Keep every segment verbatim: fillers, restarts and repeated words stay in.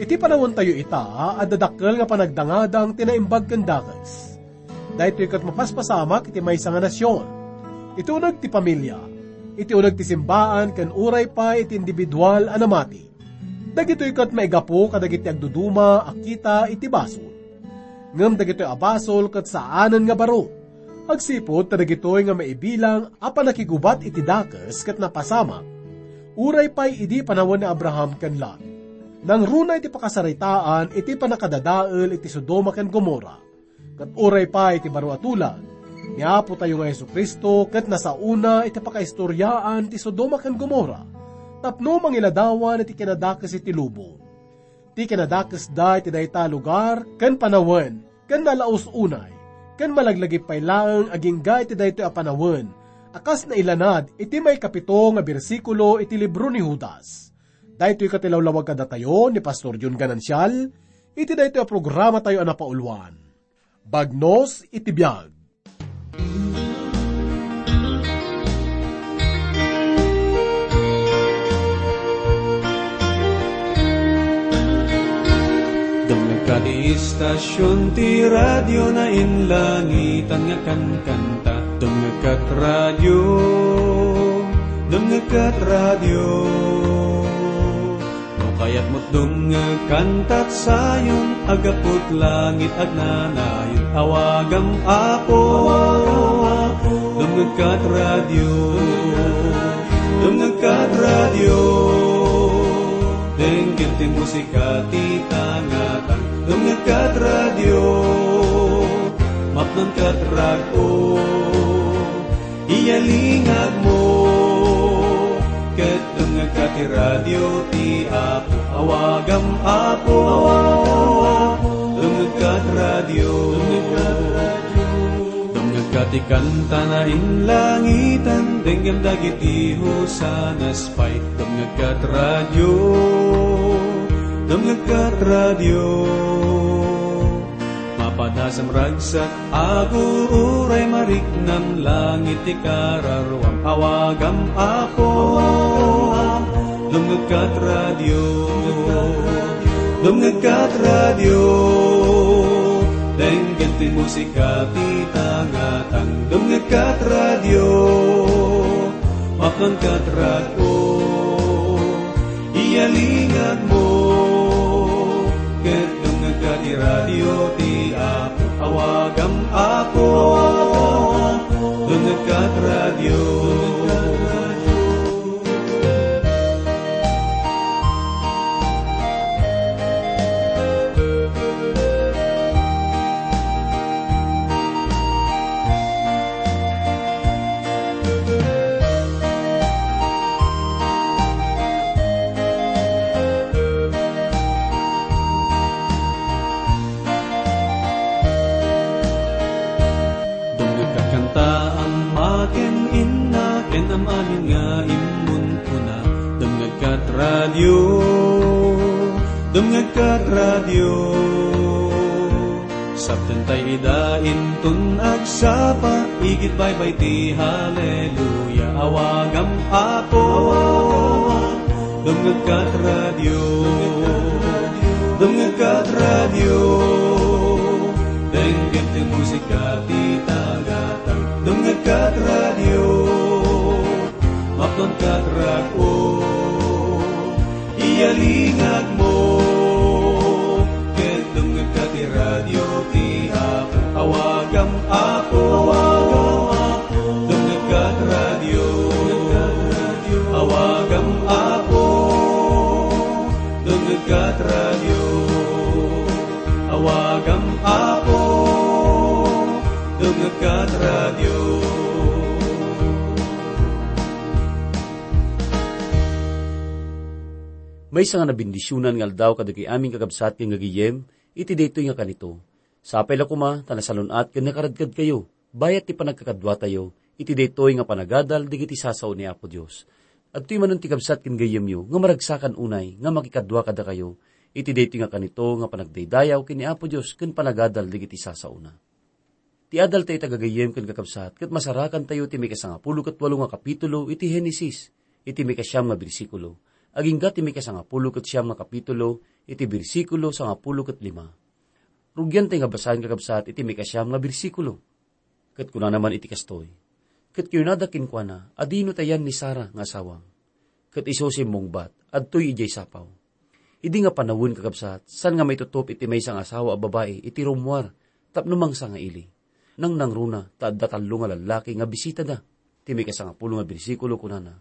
Iti panawentayo ita, adda dakkel nga panagdangadang ti naimbag ken dakes. Daytoy ket mapaspasamak iti maysa nga nasion, iti uneg ti pamilia, iti uneg ti simbaan, ken uray pay iti individual a namati. Dagitoy ket maigapu kadagiti agduduma a kita iti basol. Ngem dagitoy a basol ket saanen nga baro. Agsipud ta dagitoy nga maibilang a pannakigubat iti dakes ket napasamak, uray pay idi panawen ni Abraham ken Lot. Nangruna iti pakasaritaan iti pannakadadael iti Sodoma ken Gomorra. Ket uray pay iti baro a tulag, ni Apotayo nga Jesu-Cristo ket nasaona iti pakaistoriaan ti Sodoma ken Gomorra tapno mangiladawan iti kinadakes iti lubong. Ti kinadakesda iti dayta a lugar ken panawen ken nalaus unay, ken malaglagip pay laeng agingga iti daytoy a panawen a kas nailanad iti maikapito nga bersikulo iti libro ni Judas. Daytoy ket ilawlawag kadatayo ni Pastor Jun Ganancial iti daytoy a programatayo a napauluan, Bagnos iti Biag. Dumngegka ti istasion ti radio nainlangitan nga kankanta. Dumngegkat radio, dumngegkat radio. No kayatmo't dumngeg kantat sayon, aggapu't langit agnanayon, awagam Apo. Dumngegkat radio, dumngegkat radio. Denggen ti musika ti tangatang. Dumngegkat radio, mapnonkat rag-o. Iyalingagmo, ket dumngegka ti radio ti Apo. Awagam Apo, dumngegka ti radio. Dumngegka ti kanta nainlangitan, denggem dagiti hosanas pay. Dumngegka ti radio, dumngegka ti radio. Mapadasam ragsak, aguray mariknam, langit ti kararuam, awagam Apo. Dumngegkat radio, dumngegkat radio, denggen ti musika ti tangatang. Dumngegkat radio, mapnonkat rag-o. Iyalingagmo, ket dumngegka ti radio ti Apo. Awagam Apo, dumngegka ti radio. Dumngegka kanta, ama ken inna, ken am-amin nga immunkuna. Dumngegkat radio, dumngegkat radio. Saptentay ida inton agsapa, igid baybay ti haleluya, awagam Apo. Dumngegkat radio, dumngegkat radio, denggen ti musika ti tagatang. Dumngegkat radio, mapnonkat rag-o. Iyalingagmo, ket dumngegka ti radio ti Apo. Awagam Apo, dumngegka ti radio. Awagam Apo, dumngegka ti radio. Awagam Apo, dumngegka ti radio. Maysa nga nabendisionan nga aldaw kadagiti amin, kakabsat ken gagayem, iti daytoy nga kanito. Sapay la koma ta nasalun-at ken nakaradkadkayo, bayat ti panagkakaduatayo, iti daytoy nga panagadal dagiti sasao ni Apo Dios. Adtoy manen ti kabsat ken gayyemyo nga maragsakan unay nga makikadua kadakayo, iti daytoy nga kanito nga panagdaydayaw ken ni Apo Dios ken panagadal dagiti sasaona. Ti adal tayo, tagagayyem ken kakabsat, ket masarakantayo ti maikasangapulo ket walo nga kapitulo iti Genesis, iti maikasiam nga bersikulo. agingga ti maikasangapulo ket siam nga kapitulo, iti bersikulo sangapulo ket lima. Rugian tay nga basaen, kakabsat, iti maikasiam nga bersikulo. Ket kunana man iti kastoy, "Ket kinunada kenkuana, 'Adino ta yan ni Sara nga asawam?' Ket isu simmungbat, 'Adtoy idiay sapaw.'" Idi nga panawen, kakabsat, saan nga maitutup iti maysa nga asawa a babai iti rummuar tapno mangsangaili. Nangnangruna ta adda tallo nga lallaki nga bisitada. Ti maikasangapulo nga bersikulo kunana,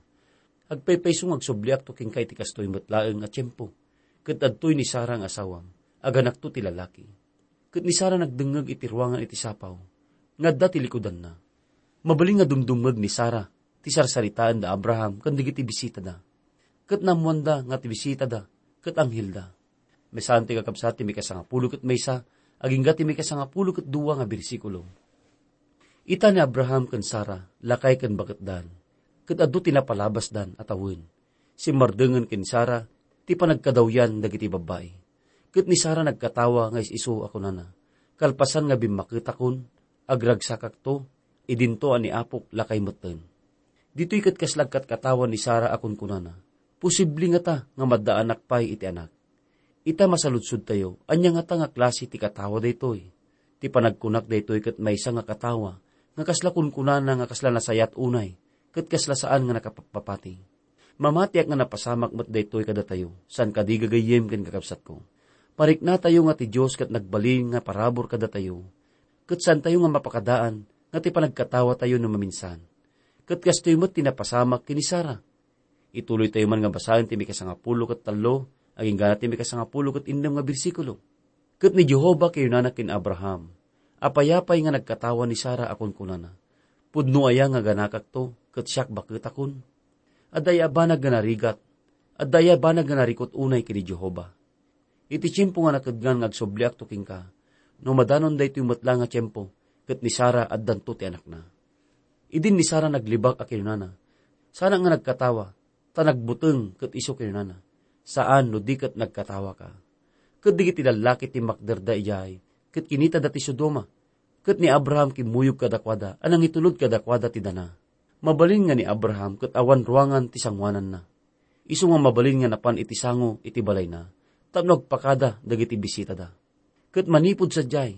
"Agpaypayso nga agsubliakto kenka iti kastoy met laeng a tiempo, ket adtoy ni Sara nga asawam, aganakto ti lalaki." Ket ni Sara nagdengngeg iti ruangan iti sapaw nga adda ti likudanna. Mabalin nga dumdumngeg ni Sara ti sarsaritaen da Abraham ken dagiti bisitada. Ket naammoanda nga ti bisitada ket anghelda. Maisaan ti, kakabsat, ti maikasangapulo ket maysa agingga ti maikasangapulo ket dua nga bersikulo. Ita ni Abraham ken Sara, lakay ken baketdan, ket adu ti napalabasdan a tawen. Simmardengen ken Sara ti panagkadawyan dagiti babbai. Ket ni Sara nagkatawa nga is-isu a kunana, "Kalpasan nga bimmaketakon, agragsakakto, idinto a ni Apok lakay metten." Ditoy ket kasla agkatkatawa ni Sara a kunkunana, "Posible ngata nga maddaanak pay iti anak?" Ita masaludsodtayo, ania ngata nga klase ti katawa daytoy? Ti panagkunak daytoy ket maysa nga katawa nga kasla kunkunana nga kasla nasayaat unay, ket kasla saan nga nakapapati. Mamatiak nga napasamak met daytoy kadatayo, saan kadi, gagayyem ken kakabsatko. Pariknatayo nga ti Dios ket nagbalin nga parabur kadatayo, ket saantayo nga mapakadaan nga ti panagkatawatayo no maminsan. Ket kastoy met ti napasamak ken ni Sara. Ituloytayo man nga basaen ti mikasangapulo ket tallo, agingga ti mikasangapulo ket innem nga bersikulo. "Ket ni Jehovah kinunana ken Abraham, 'Apay-apay nga nagkatawa ni Sara a kunkunana, 'Pudno aya nga aganakakto ket siak baketakon?' Adda aya a banag nga narigat? Adda aya a banag nga narikut unay ken ni Jehovah? Iti tiempo nga nakedngan nga agsubliakto kenka, no madanon daytoy met la nga tiempo, ket ni Sara addanto ti anakna." Idin ni Sara naglibak a kinunana, "Saanak nga nagkatawa, ta nagbuteng ket isu kinunana, 'Saan no di ket nagkatawaka.'" Ket dagiti lallaki timmakderda idiay, ket kinitada ti Sodoma. Ket ni Abraham kimmuyog kadakuada a nangitulod kadakuada ti dana. Mabalin nga ni Abraham ket awan ruangan ti sangoananna. Isu nga mabalin nga napan iti sango iti balayna tapno agpakada dagiti bisitada. Ket manipud sadiay,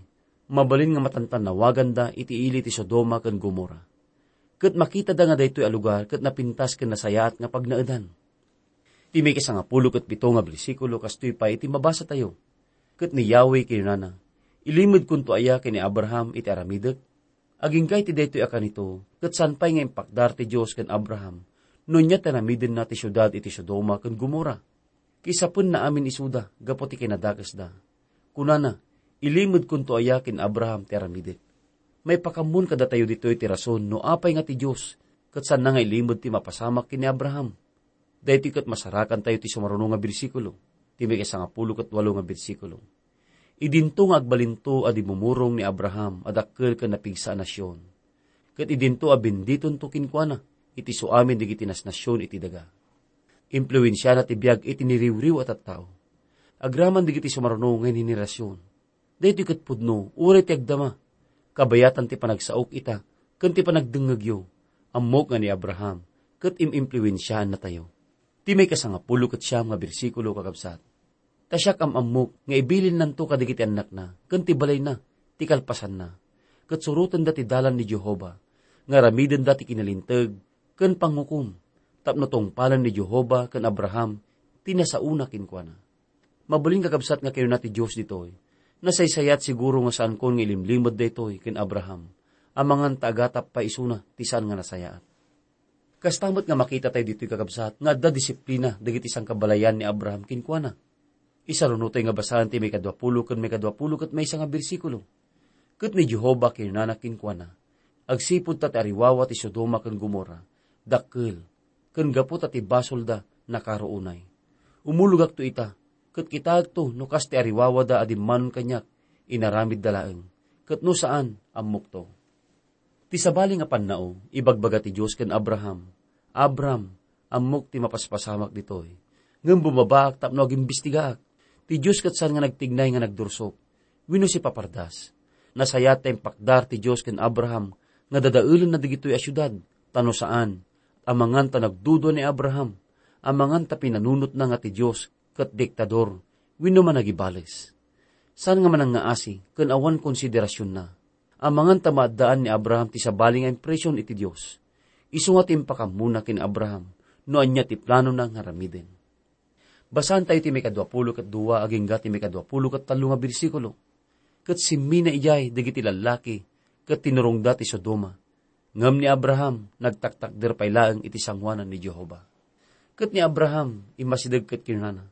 mabalin nga matantannawaganda iti ili ti Sodoma ken Gomorra. Ket makitada nga daytoy a lugar ket napintas ken nasayaat nga pagnaedan. Ti maikasangapulo ket pito nga bersikulo kastoy pay iti mabasatayo, "Ket ni Yahweh kinunana, 'Ilimedkonto aya ken ni Abraham iti aramidek?' Agingga iti daytoy a kanito, ket saan pay nga impakdar ti Dios ken Abraham no ania ti aramidenna ti siudad iti Sodoma ken Gomorra. Kisapenna amin isuda gapu ti kinadakesda. Kunana, 'Ilimedkonto aya ken Abraham ti aramidek?'" Maipakaammoen kadatayo ditoy ti rason no apay nga ti Dios ket saanna nga ilimed ti mapasamak ken ni Abraham. Daytoy ket masarakantayo ti sumaruno nga bersikulo, ti maisangapulo ket walo nga bersikulo. Idinto nga agbalinto a dimmumurong ni Abraham a dakkel ken napigsa a nasion. Ket idinto a benditonto kenkuana iti suamin dagiti nasnasion iti daga. Impluensiana ti biag iti niriwriw a tattao. Agraman dagiti sumaruno nga henerasyon. Daytoy ket pudno, uray ti agdama, kabayatan ti panagsaok ita, ken ti panagdengngegyo. Ammok nga ni Abraham, ket im-impluensiaannatayo. Ti maikasangapulo ket siam nga bersikulo, kakabsat. Ta siak am-ammok nga ibilinnanto kadagiti annakna ken ti balayna ti kalpasanna, ket surotenda ti dalan ni Jehovah, nga aramidenda ti kinalinteg ken pangukom, tapno tungpalen ni Jehovah ken Abraham ti nasaona kenkuana. Mabalin, kakabsat, nga kinuna ti Dios ditoy, "Nasaysayaat siguro nga saankon nga ilimlimed daytoy ken Abraham, amangan ta agatap pay isuna ti saan nga nasayaat." Kasta met nga makitatayo ditoy, kakabsat, nga adda disiplina dagiti sangkabalayan ni Abraham kenkuana. Isarunotayo nga basaen ti maikadua pulo ken maikadua pulo ket maysa nga bersikulo. Ket ni Jehovah kinunana kenkuana, "Agsipud ta ti ariwawa ti Sodoma ken Gomorra, dakkel, ken gapu ta ti basolda, nakaro unay. Umulogakto ita, ket kitaekto no kas ti ariwawada a dimmanon kaniak, inaramidda laeng, ket no saan, ammokto." Ti sabali nga pannao, ibagbaga ti Dios ken Abraham, "Abram, ammok ti mapaspasamak ditoy, ngem bumabaak tapno agimbestigaak. Ti Dios ket saan nga nagtignay nga nagdursok wenno sipapardas." Nasayaat ta impakdar ti Dios ken Abraham nga dadaelenna dagitoy a siudad, ta no saan, amangan ta nagdudua ni Abraham, amangan ta pinanunotna nga ti Dios ket diktador wenno managibales. Saan nga manangngaasi ken awan konsiderasionna. Amangan ta maaddaan ni Abraham ti sabali nga impresion iti Dios. Isu nga ti impakammona ken Abraham no ania ti planona nga aramiden. Basaentayo ti maikadua pulo ket dua agingga ti maikadua pulo ket tallo nga bersikulo. Ket simmina idiay dagiti lallaki ket tinurongda ti Sodoma. Ngem ni Abraham nagtaktakder pay laeng iti sangoanan ni Jehovah. Ket ni Abraham immasideg ket kinunana,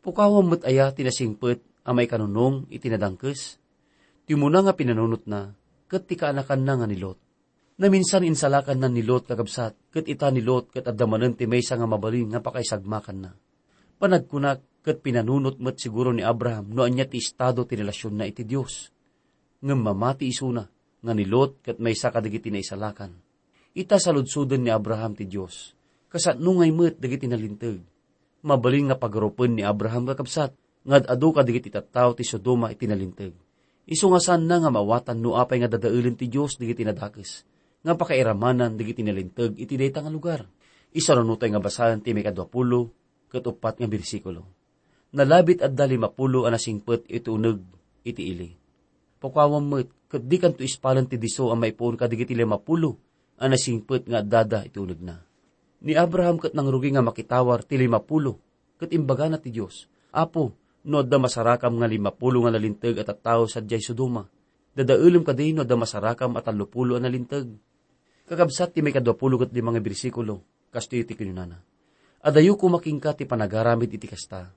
"Pukawam met aya ti nasingpet a maikanunong iti nadangkes?" Ti umuna nga pinanunotna ket ti kaanakanna nga ni Lot. Naminsan insalakanna ni Lot, kakabsat, ket ita ni Lot ket adda manen ti maysa nga mabalin nga pakaisagmakanna. Panagkunak, ket pinanunot met siguro ni Abraham no ania ti estado ti relasionna iti Dios. Ngem mamati isuna nga ni Lot ket maysa kadagiti naisalakan. Ita saludsoden ni Abraham ti Dios, kasano ngay met dagiti nalinteg. Mabalin nga pagarupen ni Abraham, kakabsat, nga ad-adu kadagiti tattao ti Sodoma iti nalinteg. Isu nga saanna nga maawatan no apay nga dadaelen ti Dios dagiti nadakes nga pakairamanan dagiti nalinteg iti dayta nga lugar. Isarunotay nga basaen ti maikadua pulo ket uppat nga bersikulo. Nalabit adda lima pulo a nasingpet iti uneg iti ili. Pukawam met, ket dikanto ispalen ti disso a maipuon kadagiti lima pulo a nasingpet nga addada iti unegna. Ni Abraham ket nangrugi nga makitawar ti lima pulo, ket imbagana ti Dios, "Apo, no adda masarakam nga lima pulo nga nalinteg a tattao sadiay Sodoma, dadaelem kadi no adda masarakam a tallo pulo a nalinteg?" Kakabsat ti maikadua pulo ket lima nga bersikulo, kastoy ti kinunana, "Adayo koma kenka ti panagaramid iti kasta.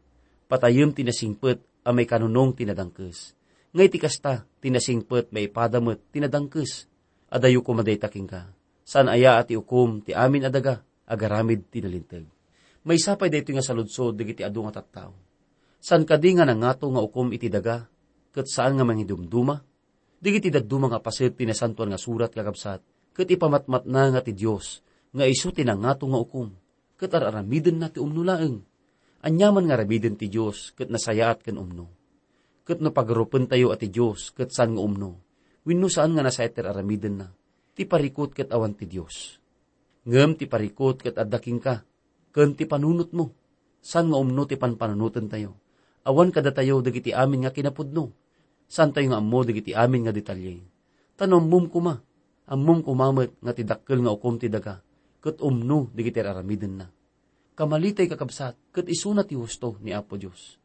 Patayem ti nasingpet a maikanunong ti nadangkes. Nga iti kasta, ti nasingpet maipada met ti nadangkes. Adayo koma dayta kenka. Saan aya a ti ukom ti amin a daga agaramid ti nalinteg." Maysa pay daytoy nga saludsod dagiti adu nga tattao. Saan kadi nga nangato nga ukom iti daga, ket saan nga mangidumduma? Dagiti dadduma nga paset ti Nasantoan nga Surat, kakabsat, ket ipamatmatna nga ti Dios nga isu ti nangato nga ukom, ket ar-aramidenna ti umno laeng. Aniaman nga aramiden ti Dios ket nasayaat ken umno. Ket no pagarupentayo a ti Dios ket saan nga umno, wenno saan nga nasayaat ti ar-aramidenna, ti parikut ket awan ti Dios. Ngem ti parikut ket adda kenka, ken ti panunotmo. Saan nga umno ti panpanunotentayo? Awan kadatayo dagiti amin nga kinapudno. Saantayo nga ammo dagiti amin nga detalye. Ta no ammom koma, ammom koma met nga ti dakkel nga ukom ti daga, ket umno dagiti ar-aramidenna. Kamalitay, kakabsat, ket isuna ti husto ni Apo Dios.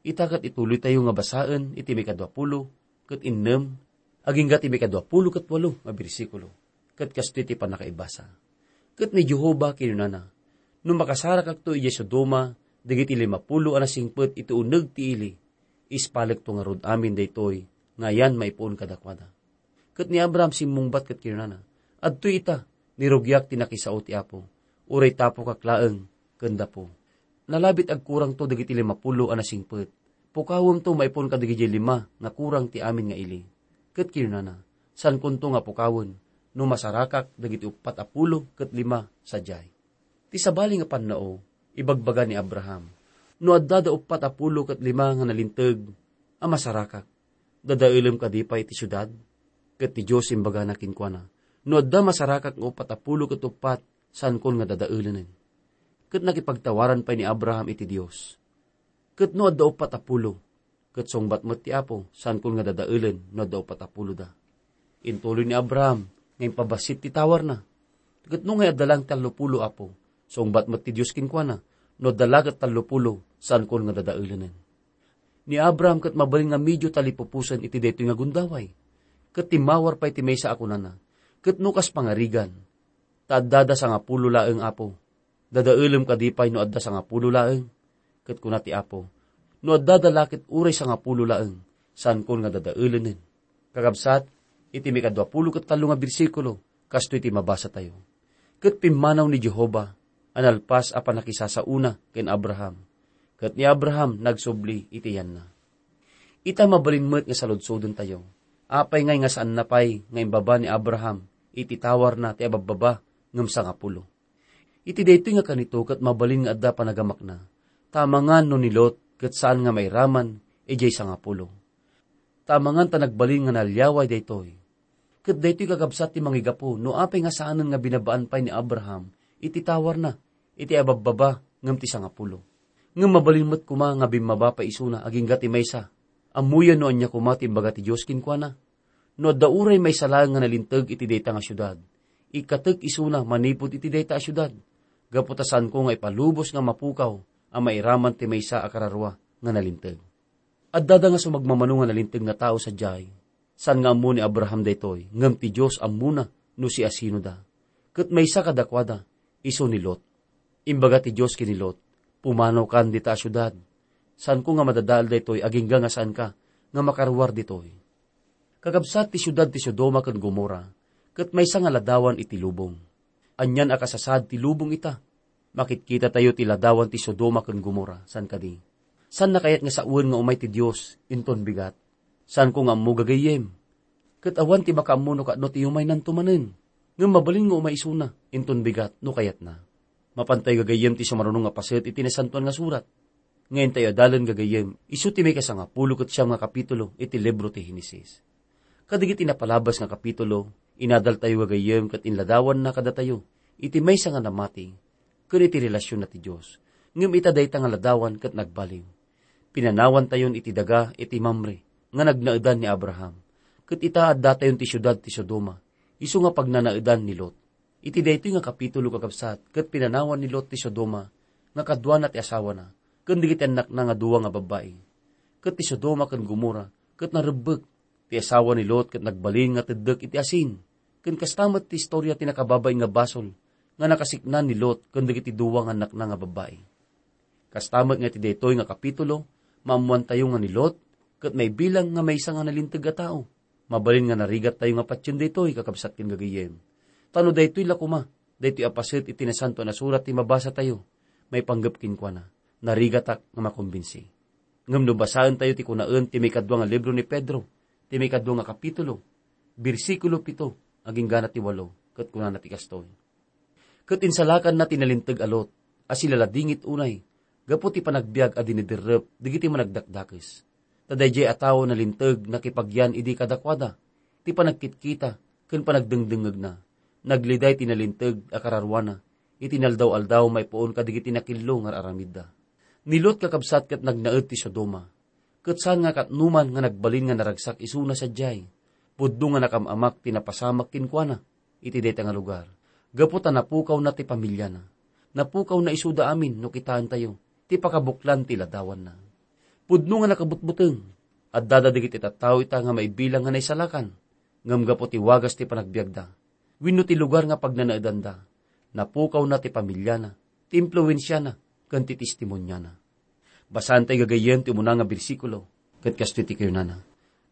Ita ket ituloytayo nga basaen iti maikadua pulo ket innem, agingga ti maikadua pulo ket walo nga bersikulo, ket kastoy ti pannakaibasa. Ket ni Jehovah kinunana, "No makasarakakto idiay Sodoma dagiti lima pulo a nasingpet iti uneg ti ili, ispalekto ngarud amin daytoy nga ayan maipuon kadakuada." Ket ni Abraham simmungbat ket kinunana, "Adtoy ita, nirugiak ti nakisao ti Apo, uray tapokak laeng ken dapo. Nalabit agkurangto dagiti lima pulo a nasingpet. Pukawemto maipuon kadagidiay lima nga kurang ti amin nga ili." Ket kinunana, "Saankonto nga pukawen no masarakak dagiti uppat a pulo ket lima sadiay." Ti sabali nga pannao, ibagbaga ni Abraham, "No adda da uppat a pulo ket lima nga nalinteg a masarakak, dadaelem kadi pay iti siudad?" Ket ti Dios imbagana kenkuana, "No adda masarakak nga uppat a pulo ket uppat, saankon nga dadaelenen." Ket nakipagtawaran pay ni Abraham iti Dios. "Ket no adda uppat a pulo?" Ket sungbat met ti Apo, "Saankon nga dadaelen no adda uppat a pulo da." Intuloy ni Abraham nga impabassit ti tawarna. "Ket no ngay adda laeng tallo pulo, Apo?" Sungbat met ti Dios kenkuana, "No adda la ket tallo pulo, saankon nga dadaelenen." Ni Abraham ket mabalin nga medio talipupusen iti daytoy nga gundaway. Ket timmawar pay ti maysa a kunana, "Ket no kas pangarigan, ta adda da sangapulo laeng, Apo, dadaelem kadi pay no adda sangapulo laeng?" Ket kuna ti Apo, "No adda da la ket uray sangapulo laeng, saankon nga dadaelenen." Kakabsat, iti maikadua pulo ket tallo nga bersikulo, kastoy ti mabasatayo, "Ket pimmanaw ni Jehovah a nalpas a pannakisasaona ken Abraham, ket ni Abraham nagsubli iti yanna." Ita mabalin met nga saludsodentayo, apay ngay nga saanna pay nga imbaba ni Abraham iti tawarna ti ababbaba ngem sangapulo? Iti daytoy nga kanito ket mabalin nga adda panagamakna, ta amangan no ni Lot ket saan nga mairaman idiay sangapulo. Ta amangan ta nagbalin nga naliaway daytoy. Ket daytoy kakabsat ti mangigapu no apay nga saanen nga binabaan pay ni Abraham iti tawarna iti ababbaba ngem ti sangapulo. Ngem mabalin met koma nga bimmaba pay isuna agingga ti maysa. Ammoyo no ania koma ti imbaga ti Dios kenkuana. No adda uray maysa laeng nga nalinteg iti dayta nga siudad, ikkatek isuna manipud iti dayta a siudad, gapu ta saanko nga ipalubos nga mapukaw a mairaman ti maysa a kararua nga nalinteg. Addada nga sumagmamano nga nalinteg nga tao sadiay. Saan nga ammo ni Abraham daytoy, ngem ti Dios ammona no siasinoda. Ket maysa kadakuada, isu ni Lot. Imbaga ti Dios ken ni Lot, "Pumanaw kan dita a siudad. Saanko nga madadael daytoy agingga nga saanka nga makaruar ditoy." Kakabsat, ti siudad ti Sodoma ken Gomorra, ket maysa nga ladawan iti lubong. Anian a kasasaad ti lubong ita. Makitkita tayo ti ladawan ti Sodoma ken Gomorra, saan kadi? Saanna kayat nga sawen nga umay ti Dios inton bigat? Saanko nga ammo, gagayyem. Ket awan ti makaammo no kano ti yumaynanto manen. Ngem mabalin nga umay isuna inton bigat no kayatna. Mapantayo gagayyem ti sumaruno nga paset iti Nasantoan nga Surat. Nga intayo adalen, gagayyem, isu ti maikasangapulo ket siam nga kapitulo iti libro ti Henesis. Kadagiti napalabas nga kapitulo, inadaltayo gagayyem ket inladawanna kadatayo iti maysa nga namati ken iti relasionna ti Dios. Ngem ita dayta nga ladawan ket nagbaliw. Pinanawantayon iti daga iti Mamre nga nagnaedan ni Abraham, ket ita addatayon ti siudad ti Sodoma, isu nga pagnanaedan ni Lot. Iti daytoy nga kapitulo, kakabsat, ket pinanawan ni Lot ti Sodoma nga kaduana ti asawana ken dagiti annakna nga dua nga babbai. Ket ti Sodoma ken Gomorra ket narebbek. Ti asawa ni Lot ket nagbalin nga teddek iti asin. Ken kasta met ti istorya ti nakababain nga basol nga nakasiknan ni Lot ken dagiti dua nga annakna nga babbai. Kasta met nga iti daytoy nga kapitulo, maammoantayo nga ni Lot ket maibilang nga maysa nga nalinteg a tao. Mabalin nga narigattayo nga patien daytoy, kakabsat ken gagayyem. Ta no daytoy la koma, daytoy a paset iti Nasantoan a Surat ti mabasatayo, maipanggep kenkuana, narigatak nga makombinsi. Ngem no basaentayo ti kunaen ti maikadua nga libro ni Pedro, ti maikadua nga kapitulo, bersikulo pito, aginggana ti walo, ket kunana ti kastoy: Ket insalakanna ti nalinteg a Lot a silaladingit unay gapu ti panagbiag a diniderrep dagiti managdakdakes. Ta daydiay a tao nalinteg nakipagyan idi kadakuada ti panagkitkita ken panagdengdengngegna. Nagliday ti nalinteg a kararuana iti naldaw-aldaw maipuon kadagiti nakillo nga ar-aramidda. Ni Lot, kakabsat, ket nagnaed ti Sodoma. Ket saan nga katnoman nga nagbalin nga naragsak isuna sadiay. Pudno nga nakam-amak ti napasamak kenkuana iti dayta nga lugar, gapu ta napukawna ti pamiliana. Napukawna isuda amin no kitaentayo ti pakabuklan ti ladawanna. Pudno nga nakabutbuteng. Addada dagiti tattao ita nga maibilang nga naisalakan, ngem gapu ti wagas ti panagbiagda wenno ti lugar nga pagnanaedanda, napukawna ti pamiliana, ti impluensiana, ken ti testimoniana. Basaentayo gagayyem ti umuna nga bersikulo, ket kastoy ti kinunana: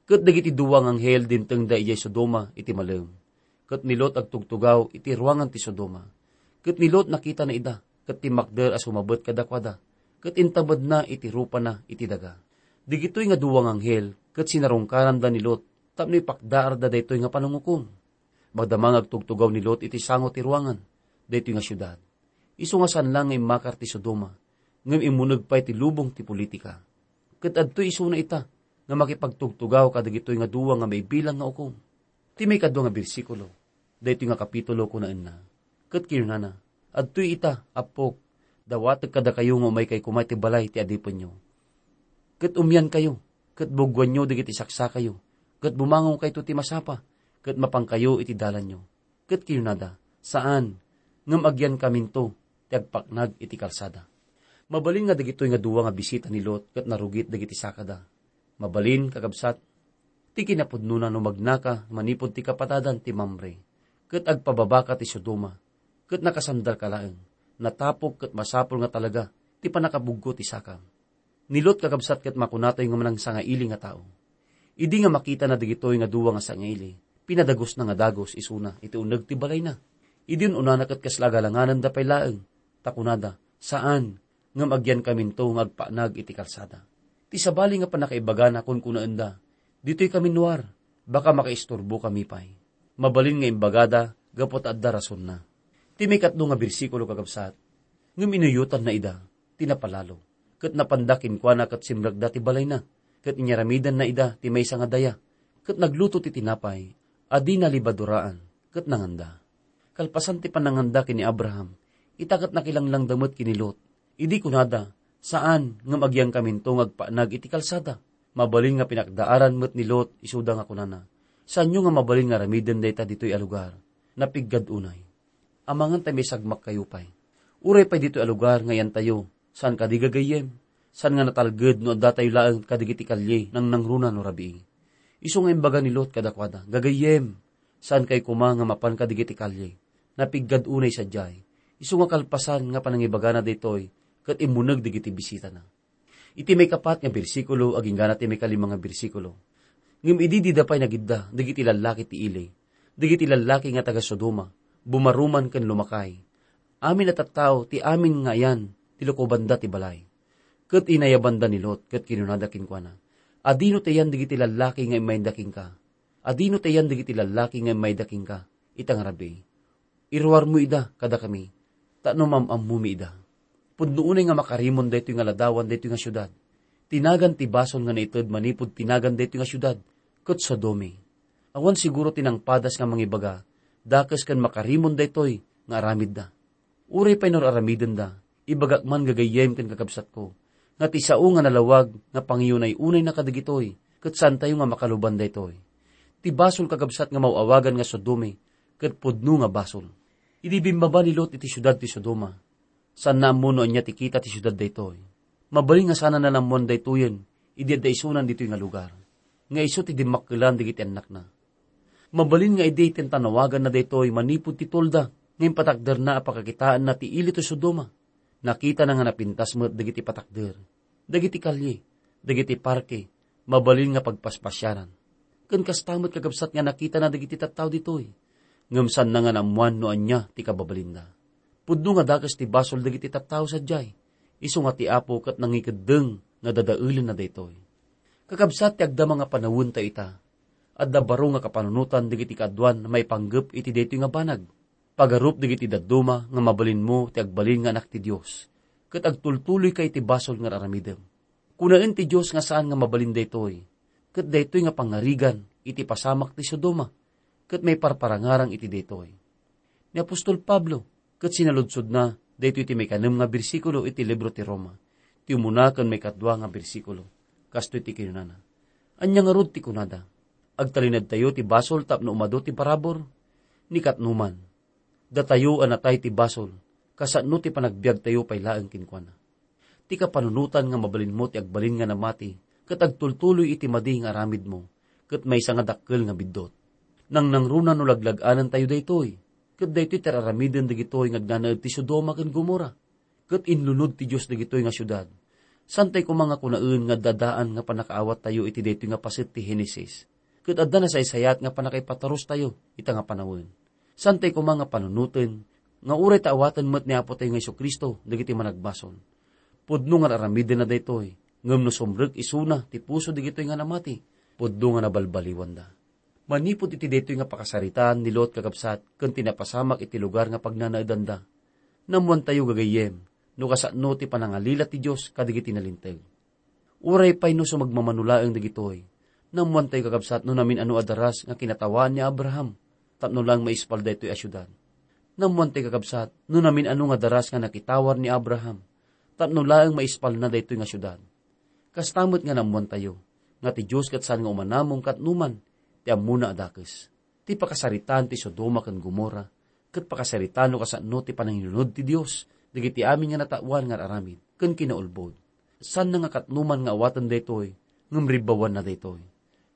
Ket dagiti dua nga anghel dimtengda idiay Sodoma iti malem, ket ni Lot agtugtugaw iti ruangan ti Sodoma. Ket ni Lot nakitana ida, ket timmakder a sumabet kadakuada, ket intamedna iti rupana iti daga. Dagitoy nga dua nga anghel ket sinarungkaranda ni Lot tapno ipakdaarda daytoy nga panangukom. Madama nga agtugtugaw ni Lot iti sango ti ruangan daytoy nga siudad. Isu nga saan laeng nga immakar ti Sodoma, ngem immuneg pay ti lubong ti politika. Ket adtoy isuna ita nga makipagtugtugaw kadagitoy nga dua nga maibilang nga ukom. Ti maikadua nga bersikulo, daytoy nga kapitulo, kunaenna: Ket kinunana: Adtoy ita, appok, dawatek kadakayo nga umaykay koma iti balay ti adipenyo. Ket umiankayo, ket buggoanyo dagiti saksakayo, ket bumangongkayto ti masapa, ket mapankayo iti dalanyo. Ket kinunada: Saan, ngem agyankaminto ti agpaknag iti kalsada. Mabalin nga dagitoy nga dua nga bisita ni Lot ket narugit dagiti sakada. Mabalin, kakabsat, ti kinapudnona no magnaka manipud ti kapatadan ti Mamre, ket agpababaka ti Sodoma, ket nakasandalka laeng, natapok ket masapul nga talaga ti pannakabuggo ti sakam. Ni Lot, kakabsat, ket makunatayo nga manangsangaili nga tao. Idi nga makitana dagitoy nga dua nga sangaili, pinadagusna nga dagus isuna iti uneg ti balayna. Idi un-unana ket kasla agalangananda pay laeng, ta kunada: Saan, ngem agyankaminto nga agpaknag iti kalsada. Ti sabali nga pannakaibagana, kunkunaenda: Ditoy kami nuar, baka makaisturbokami pay. Mabalin nga imbagada gapu ta adda rasonna. Ti maikatlo nga bersikulo, kakabsat: Ngem inuyotanna ida ti napalalo, ket napanda kenkuana ket simrekda ti balayna, ket inyaramidanna ida ti maysa nga daya, ket nagluto ti tinapay a di nalibaduraan, ket nanganda. Kalpasan ti pananganda ken ni Abraham, ita ket nakilanglangda met ken ni Lot, Idi kunada, "Saan, ngem agyangkaminto nga agpatnag iti kalsada." Mabalin nga pinakdaaran met ni Lot isuda nga kunana, "Saanyo nga mabalin nga aramiden dayta ditoy a lugar? Napiggad unay. Amangan ta maisagmakkayo pay. Uray pay ditoy a lugar nga iyantayo, saan kadi gagayyem? Saan nga natalged no addatayo laeng kadigiti kalye nangnangruna no rabii?" Isu nga imbaga ni Lot kadakuada, "Gagayyem, saankayo koma nga mapan kadigiti kalye. Napiggad unay sadiay." Isu nga kalpasan nga panangibagana daytoy, ket immuneg dagiti bisitana. Iti maikapat nga bersikulo agingga ti maikalima nga bersikulo. Ngem idi dida pay nagidda dagiti lallaki ti ili, dagiti lallaki nga taga-Sodoma, bumaruman ken lumakay. Amin a tattao ti amin nga ayan ti lukobanda ti balay. Ket inayabanda ni Lot ket kinunada kenkuana, "Adino ti ayan dagiti lallaki nga immayda kenka? Adino ti ayan dagiti lallaki nga immayda kenka ita nga rabii? Iruarmo ida kadakami, tapno maam-ammomi ida. Pudno unay nga makarimon daytoy nga ladawan daytoy nga siudad. Ti nagan ti basol nga naited manipud ti nagan daytoy nga siudad, ket Sodome. Awan siguro ti nangpadas nga mangibaga, dakes ken makarimon daytoy nga aramidda. Uray pay no ar-aramidenda, ibagak man gagayyem ken kakabsatko, nga ti sao nga nalawag nga pangiyunay-unayna kadagitoy, ket saantayo nga makaluban daytoy. Ti basol kakabsat nga maw-awagan nga Sodome, ket pudno nga basol." Idi bimmaba ni Lot iti siudad ti Sodoma, saanna ammo no ania ti kita ti siudad daytoy. Mabalin nga saanna naammoan daytoyen idi adda isunan ditoy nga lugar, nga isu ti dimmakkelan dagiti annakna. Mabalin nga idi tintanawaganna daytoy manipud ti tolda nga impatakderna a pakakitaenna ti ili ti Sodoma, nakitana nga napintas met dagiti patakder, dagiti kalye, dagiti parke, mabalin nga pagpaspasiaran. Ken kasta met kakabsat nga nakitana dagiti tattao ditoy, ngem saanna nga naammoan no ania ti kababalinda. Pudno nga dakes ti basol dagiti tattao sadiay, isu nga ti Apo ket nangikeddeng nga dadaelenna daytoy. Kakabsat ti agdama nga panawentayo ita, adda baro nga kapanunotan dagiti kaaduan a maipanggep iti daytoy nga banag. Pagarup dagiti dadduma nga mabalinmo ti agbalin nga anak ti Dios, ket agtultuloyka iti basol nga ar-aramidem. Kunaen ti Dios nga saan nga mabalin daytoy, ket daytoy nga pangngarigan iti pasamak ti Sodoma, ket maiparparangarang iti daytoy. Ni apostol Pablo, ket sinaludsodna daytoy iti maikanem nga bersikulo iti libro ti Roma, ti umuna ken maikadua nga bersikulo. Kastoy ti kinunana, "Ania ngarud ti kunada? Agtalinedtayo ti basol tapno umadu ti parabur? Ni katnoman, datayo a natay ti basol, kasano ti panagbiagtayo pay laeng kenkuana?" Ti kapanunotan nga mabalinmo ti agbalin nga namati, ket agtultuloy iti madi nga aramidmo, ket maysa nga dakkel nga biddut. Nangnangruna no laglag-anentayo daytoy, ket daytoy ti ar-aramiden dagitoy nga agnanaed ti Sodoma ken Gomorra. Ket inlunod ti Dios dagitoy nga siudad. Saantay koma nga kunaen nga adda daan nga pannakaawattayo iti daytoy nga paset ti Genesis, ket adda nasaysayat nga pannakaipatarustayo ita nga panawen. Saantay koma nga panunoten nga uray ta awaten met ni Apotayo nga Jesu-Cristo dagiti managbasol. Pudno nga ar-aramidenna daytoy, ngem no sumrek isuna ti puso dagitoy nga namati, pudno nga nabalbaliwanda. Manipud iti daytoy nga pakasaritaan ni Lot, kakabsat, ken ti napasamak iti lugar nga pagnanaedanda, naammoantayo gagayyem no kasano ti panangalila ti Dios kadagiti nalinteg. Uray pay no sumagmamano laeng dagitoy, naammoantayo, kakabsat, no namin-ano a daras nga kinatawaan ni Abraham tapno laeng maispal daytoy a siudad. Naammoantayo, kakabsat, no namin-ano nga daras nga nakitawar ni Abraham tapno laeng maispalna daytoy nga siudad. Kasta met nga naammoantayo nga ti Dios ket saan nga umanamong katnoman ti ammona a dakes. Ti pakasaritaan ti Sodoma ken Gomorra ket pakasaritaan no kasano ti panangilunod ti Dios dagiti amin nga nataoan nga ar-aramid ken kinaulbod. Saanna nga katnoman nga awaten daytoy, ngem ribbawanna daytoy.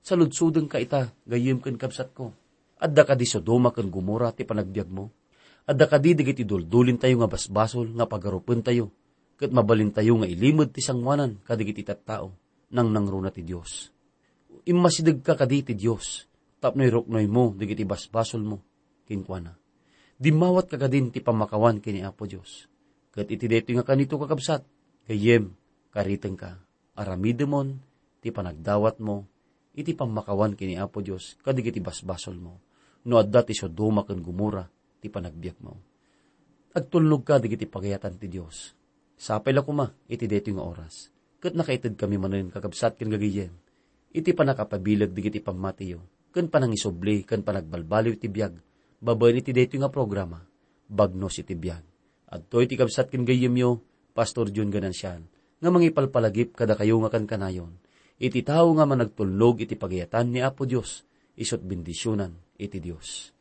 Saludsodenka ita, gayyem ken kabsatko. Adda kadi Sodoma ken Gomorra ti panagbiagmo? Adda kadi dagiti duldulintayo nga basbasol nga pagarupentayo, ket mabalintayo nga ilimed ti sangoanan kadagiti tattao? Nangnangruna ti Dios. Immasidegka kadi iti Dios tapno iruknoymo dagiti basbasolmo kenkuana. Dimmawatka kadin ti pammakawan ken ni Apo Dios. Ket iti daytoy nga kanito, kakabsat, gayyem, karitenka, aramidemon ti panagdawatmo iti pammakawan ken ni Apo Dios kadagiti basbasolmo, no adda ti Sodoma ken Gomorra ti panagbiagmo. Agtulnogka dagiti pagayatan ti Dios. Sapay la koma iti daytoy nga oras. Ket nakaitedkami manen, kakabsat ken gagayyem, iti pannakapabileg dagiti pammatiyo, ken panangisubli ken panagbalbaliw iti biag, babaen iti daytoy nga programa, Bagnos iti Biag. Adtoy ti kabsat ken gayyemyo, Pastor Jun Ganancial, nga mangipalpalagip kadakayo nga kankanayon, iti tao nga managtulnog iti pagayatan ni Apo Dios, isut' bendisionan iti Dios.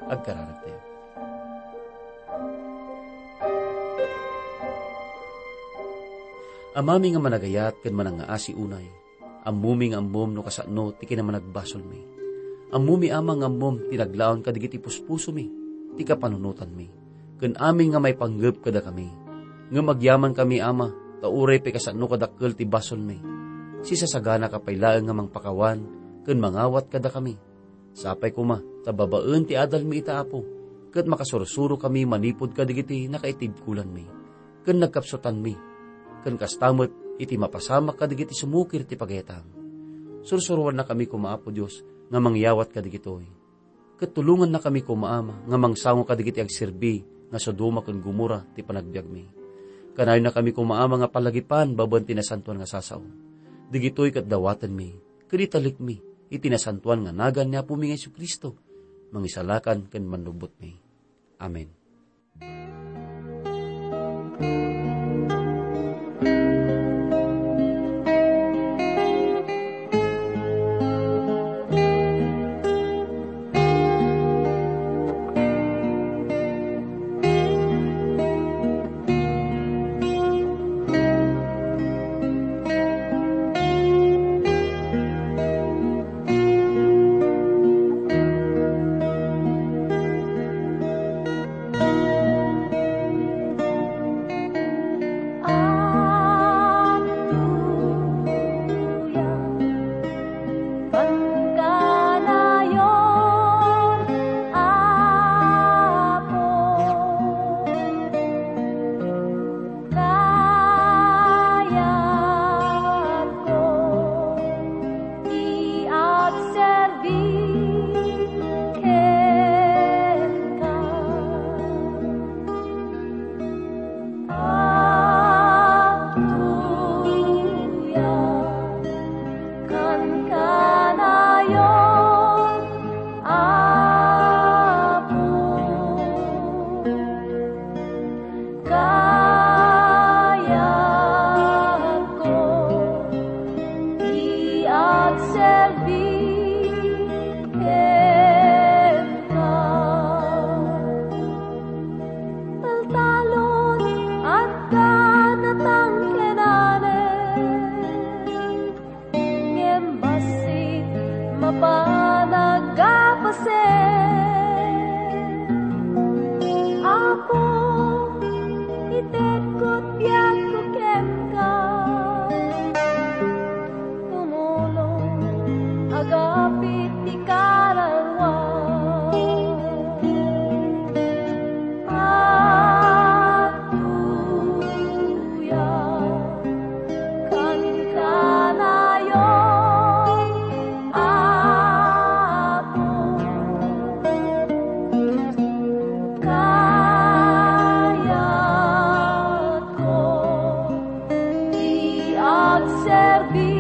Agkararagtayo. Amami nga managayat ken manangngaasi unay, ammomi nga ammom no kasano ti kinamanagbasolmi. Ammomi, Ama, nga ammom ti naglaon kadagiti puspusomi, ti kapanunotanmi, ken amin nga maipanggep kadakami. Ngem agyamankami, Ama, ta uray pay kasano kadakkel ti basolmi, sisasaganaka pay laeng nga mangpakawan ken mangawat kadakami. Sapay koma ta babaen ti adalmi ita, Apo, ket makasursurokami manipud kadagiti nakaitibkolanmi ken nagkapsutanmi, ken kasta met iti mapasamak kadagiti sumukir ti pagayatam. Sursuroannakami koma, Apo Dios, nga mangyawat kadagitoy. Ket tulongannakami koma, Ama, nga mangsango kadagiti agserbi nga Sodoma ken Gomorra ti panagbiagmi. Kanayonnakami koma, Ama, nga palagipan babaen ti nasantoan nga sao. Dagitoy ket dawatenmi ken italekmi iti nasantoan nga nagan ni Apomi nga Jesu-Cristo, Mangisalakan ken Mannubbotmi. Amen. Agtultuloyan kanayon, Apo. Kayatko ti agserbi kenka. Agtultuloyan kankanayon, Apo. Kayatko ti agserbi kenka. Taltalon, adda natangkenanen, ngem bassit mapan aggapasen. Apo, itedko ti biagko kenka. Tumulong, agapit ti kararua. Agtultuloyan kankanayon, Apo. Kayatko ti agserbi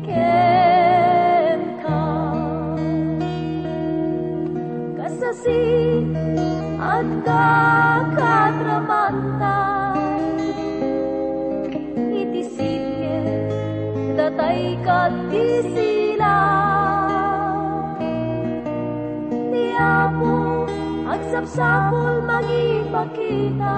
kenka. Kasasi, adda kadramanta iti sitge, datay ket ti sila. Ni Apo agsapsapul mangipakita.